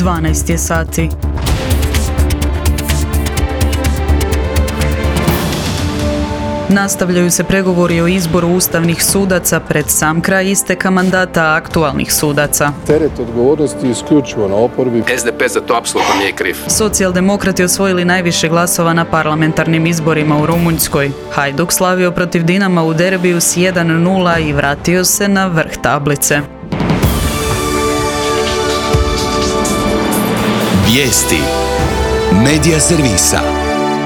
12 je sati. Nastavljaju se pregovori o izboru ustavnih sudaca pred sam kraj isteka mandata aktualnih sudaca. Teret odgovornosti je isključivo na oporbi. SDP za to apsolutno nije kriv. Socijaldemokrati osvojili najviše glasova na parlamentarnim izborima u Rumunjskoj. Hajduk slavio protiv Dinama u derbiju s 1:0 i vratio se na vrh tablice. Vijesti Medija servisa.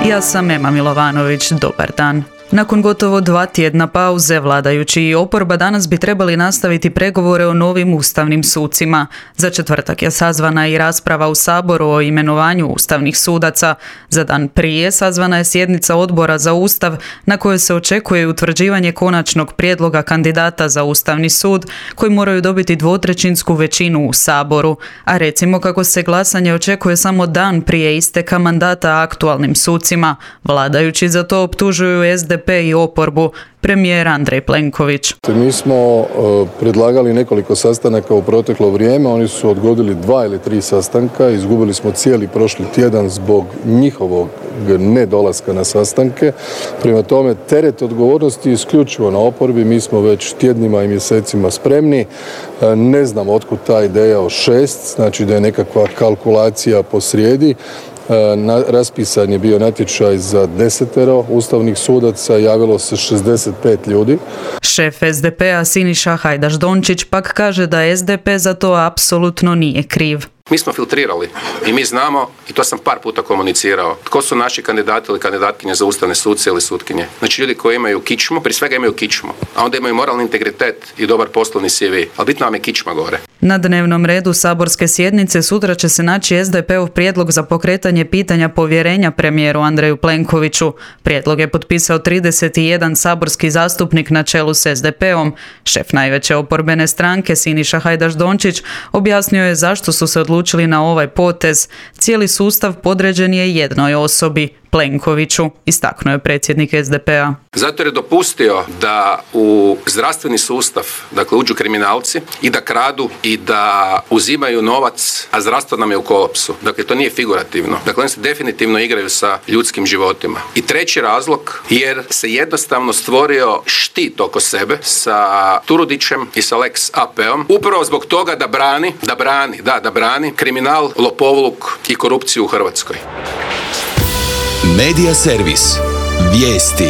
Ja sam Ema Milovanović, dobar dan. Nakon gotovo 2 tjedna pauze, vladajući i oporba danas bi trebali nastaviti pregovore o novim ustavnim sucima. Za četvrtak je sazvana i rasprava u Saboru o imenovanju ustavnih sudaca. Za dan prije sazvana je sjednica Odbora za Ustav na kojoj se očekuje utvrđivanje konačnog prijedloga kandidata za Ustavni sud koji moraju dobiti 2/3 većinu u Saboru. A recimo kako se glasanje očekuje samo dan prije isteka mandata aktualnim sucima. Vladajući za to optužuju SDP i oporbu. Premijer Andrej Plenković. Mi smo predlagali nekoliko sastanaka u proteklo vrijeme, oni su odgodili 2 ili 3 sastanka, izgubili smo cijeli prošli tjedan zbog njihovog nedolaska na sastanke. Prema tome, teret odgovornosti je isključivo na oporbi, mi smo već tjednima i mjesecima spremni. Ne znam otkud ta ideja o 6, znači da je nekakva kalkulacija posrijedi. Raspisan je bio natječaj za 10 ustavnih sudaca, javilo se 65 ljudi. Šef SDP-a Siniša Hajdaš Dončić pak kaže da SDP za to apsolutno nije kriv. Mi smo filtrirali i mi znamo, i to sam par puta komunicirao, tko su naši kandidati ili kandidatkinje za ustavne suce ili sutkinje. Znači ljudi koji imaju kičmu, prije svega imaju kičmu, a onda imaju moralni integritet i dobar poslovni CV. Ali bitno vam je kičma gore. Na dnevnom redu saborske sjednice sutra će se naći SDP-ov prijedlog za pokretanje pitanja povjerenja premijeru Andreju Plenkoviću. Prijedlog je potpisao 31 saborski zastupnik na čelu s SDP-om. Šef najveće oporbene stranke Siniša Hajdaš Dončić objasnio je zašto su se odlučili na ovaj potez. Cijeli sustav podređen je jednoj osobi, Plenkoviću, istaknuo je predsjednik SDP-a. Zato je dopustio da u zdravstveni sustav, dakle, uđu kriminalci i da kradu i da uzimaju novac, a zdravstvo nam je u kolapsu. Dakle, to nije figurativno. Dakle, oni se definitivno igraju sa ljudskim životima. I treći razlog, jer se jednostavno stvorio štit oko sebe sa Turudićem i sa Lex AP-om, upravo zbog toga da brani kriminal, lopovluk i korupciju u Hrvatskoj. Medija servis. Vijesti.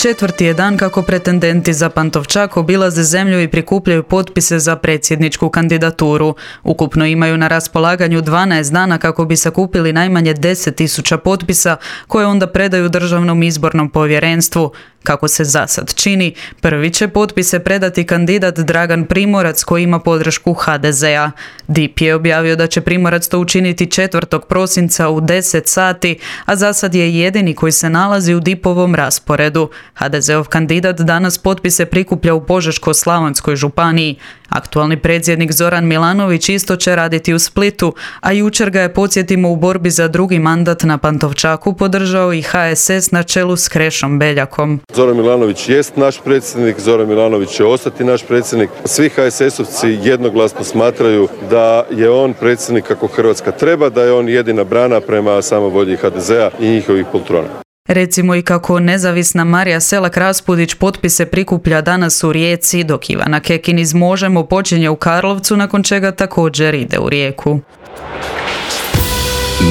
Četvrti je dan kako pretendenti za Pantovčak obilaze zemlju i prikupljaju potpise za predsjedničku kandidaturu. Ukupno imaju na raspolaganju 12 dana kako bi sakupili najmanje 10.000 potpisa koje onda predaju Državnom izbornom povjerenstvu. Kako se zasad čini, prvi će potpise predati kandidat Dragan Primorac koji ima podršku HDZ-a. DIP je objavio da će Primorac to učiniti 4. prosinca u 10 sati, a zasad je jedini koji se nalazi u DIP-ovom rasporedu. HDZ-ov kandidat danas potpise prikuplja u Požeško-slavonskoj županiji. Aktualni predsjednik Zoran Milanović isto će raditi u Splitu, a jučer ga je, podsjetimo, u borbi za drugi mandat na Pantovčaku podržao i HSS na čelu s Krešom Beljakom. Zoran Milanović jest naš predsjednik, Zoran Milanović će ostati naš predsjednik. Svi HSS-ovci jednoglasno smatraju da je on predsjednik kako Hrvatska treba, da je on jedina brana prema samovolji HDZ-a i njihovih poltrona. Recimo i kako nezavisna Marija Selak-Raspudić potpise prikuplja danas u Rijeci, dok Ivana Kekin iz Možemo počinje u Karlovcu, nakon čega također ide u Rijeku.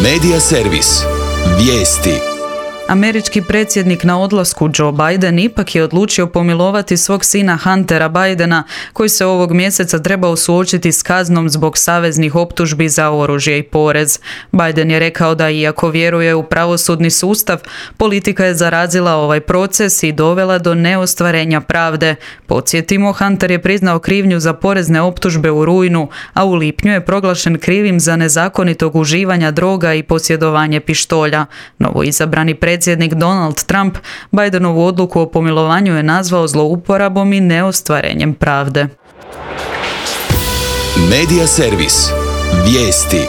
Medija servis. Vijesti. Američki predsjednik na odlasku Joe Biden ipak je odlučio pomilovati svog sina Huntera Bidena, koji se ovog mjeseca trebao suočiti s kaznom zbog saveznih optužbi za oružje i porez. Biden je rekao da iako vjeruje u pravosudni sustav, politika je zarazila ovaj proces i dovela do neostvarenja pravde. Podsjetimo, Hunter je priznao krivnju za porezne optužbe u rujnu, a u lipnju je proglašen krivim za nezakonitog uživanja droga i posjedovanje pištolja. Novoizabrani predsjednik Donald Trump Bidenovu odluku o pomilovanju je nazvao zlouporabom i neostvarenjem pravde. Medija servis. Vijesti.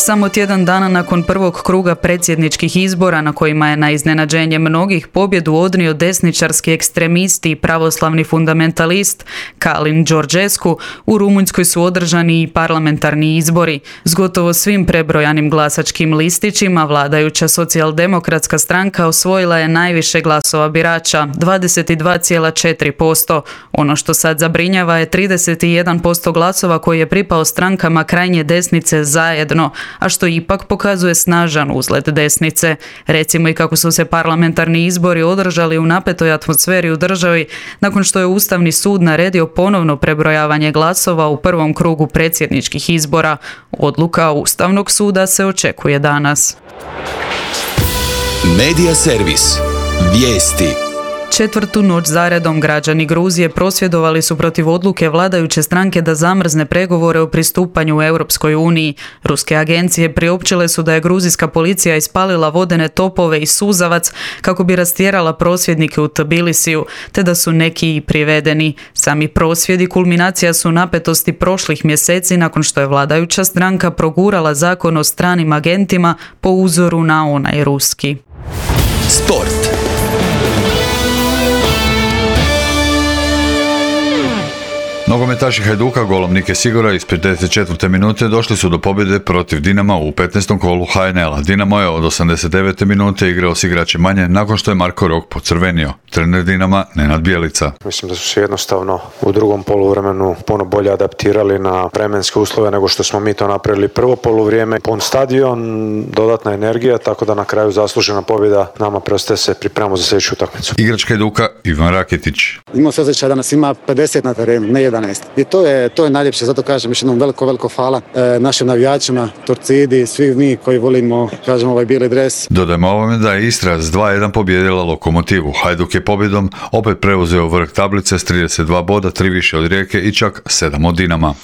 Samo tjedan dana nakon prvog kruga predsjedničkih izbora na kojima je na iznenađenje mnogih pobjedu odnio desničarski ekstremisti i pravoslavni fundamentalist Kalin Đorđescu, u Rumunjskoj su održani i parlamentarni izbori. S gotovo svim prebrojanim glasačkim listićima vladajuća socijaldemokratska stranka osvojila je najviše glasova birača, 22,4%. Ono što sad zabrinjava je 31% glasova koji je pripao strankama krajnje desnice Zajedno, a što ipak pokazuje snažan uzlet desnice. Recimo i kako su se parlamentarni izbori održali u napetoj atmosferi u državi nakon što je Ustavni sud naredio ponovno prebrojavanje glasova u prvom krugu predsjedničkih izbora. Odluka Ustavnog suda se očekuje danas. Medija servis. Vijesti. Četvrtu noć zaredom građani Gruzije prosvjedovali su protiv odluke vladajuće stranke da zamrzne pregovore o pristupanju u Europskoj uniji. Ruske agencije priopćile su da je gruzijska policija ispalila vodene topove i suzavac kako bi rastjerala prosvjednike u Tbilisiju, te da su neki i privedeni. Sami prosvjedi kulminacija su napetosti prošlih mjeseci nakon što je vladajuća stranka progurala zakon o stranim agentima po uzoru na onaj ruski. Sport. Nogometaši Hajduka golom Nike Sigora iz 54. minute došli su do pobjede protiv Dinama u 15. kolu HNL-a. Dinamo je od 89. minute igrao s igračem manje nakon što je Marko Rok pocrvenio. Trener Dinama Nenad Bjelica. Mislim da su se jednostavno u drugom poluvremenu puno bolje adaptirali na vremenske uslove nego što smo mi to napravili prvo poluvrijeme. Pun stadion, dodatna energija, tako da na kraju zaslužena pobjeda. Nama preostaje se pripremamo za sljedeću utakmicu. Igrač Hajduka Ivan Raketić. Imao se osjećaj da nas ima 50 na terenu, ne 11. I to je najljepše, zato kažem još jednom veliko hvala našim navijačima, Torcidi, svi mi koji volimo, kažemo, ovaj bijeli dres. Dodajmo ovome da je Istra s 2-1 pobijedila Lokomotivu. Hajduk je pobjedom opet preuzeo vrh tablice s 32 boda, 3 više od Rijeke i čak 7 od Dinama.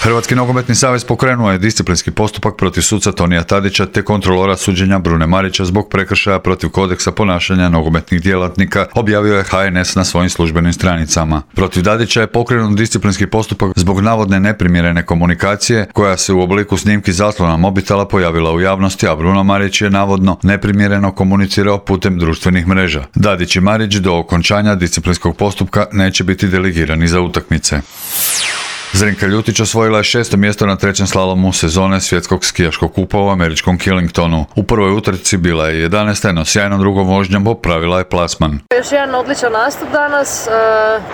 Hrvatski nogometni savez pokrenuo je disciplinski postupak protiv suca Tonija Tadića te kontrolora suđenja Brune Marića zbog prekršaja protiv kodeksa ponašanja nogometnih djelatnika, objavio je HNS na svojim službenim stranicama. Protiv Tadića je pokrenut disciplinski postupak zbog navodne neprimjerene komunikacije koja se u obliku snimki zaslona mobitela pojavila u javnosti, a Bruno Marić je navodno neprimjereno komunicirao putem društvenih mreža. Tadić i Marić do okončanja disciplinskog postupka neće biti delegirani za utakmice. Zrinka Ljutić osvojila je 6. mjesto na 3. slalomu sezone svjetskog skijaškog kupa u američkom Killingtonu. U prvoj utrci bila je 11. no sjajnom drugom vožnjom popravila je plasman. Još jedan odličan nastup danas,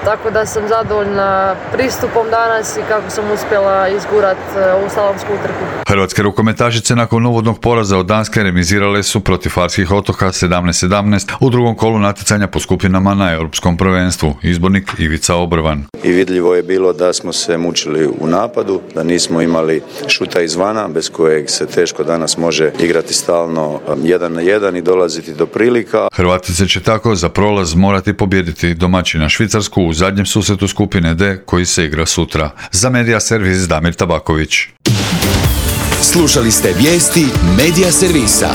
tako da sam zadovoljna pristupom danas i kako sam uspjela izgurat ovu slalomsku utrku. Hrvatske rukometašice nakon uvodnog poraza od Danske remizirale su protiv Farskih otoka 17-17 u drugom kolu natjecanja po skupinama na Europskom prvenstvu. Izbornik Ivica Obrvan. I vidljivo je bilo da smo se mučili u napadu, da nismo imali šuta izvana bez kojeg se teško danas može igrati stalno 1 na 1 i dolaziti do prilika. Hrvatice će tako za prolaz morati pobijediti domaćina Švicarsku u zadnjem susretu skupine D koji se igra sutra. Za Medija servis Damir Tabaković. Slušali ste vijesti Medija servisa.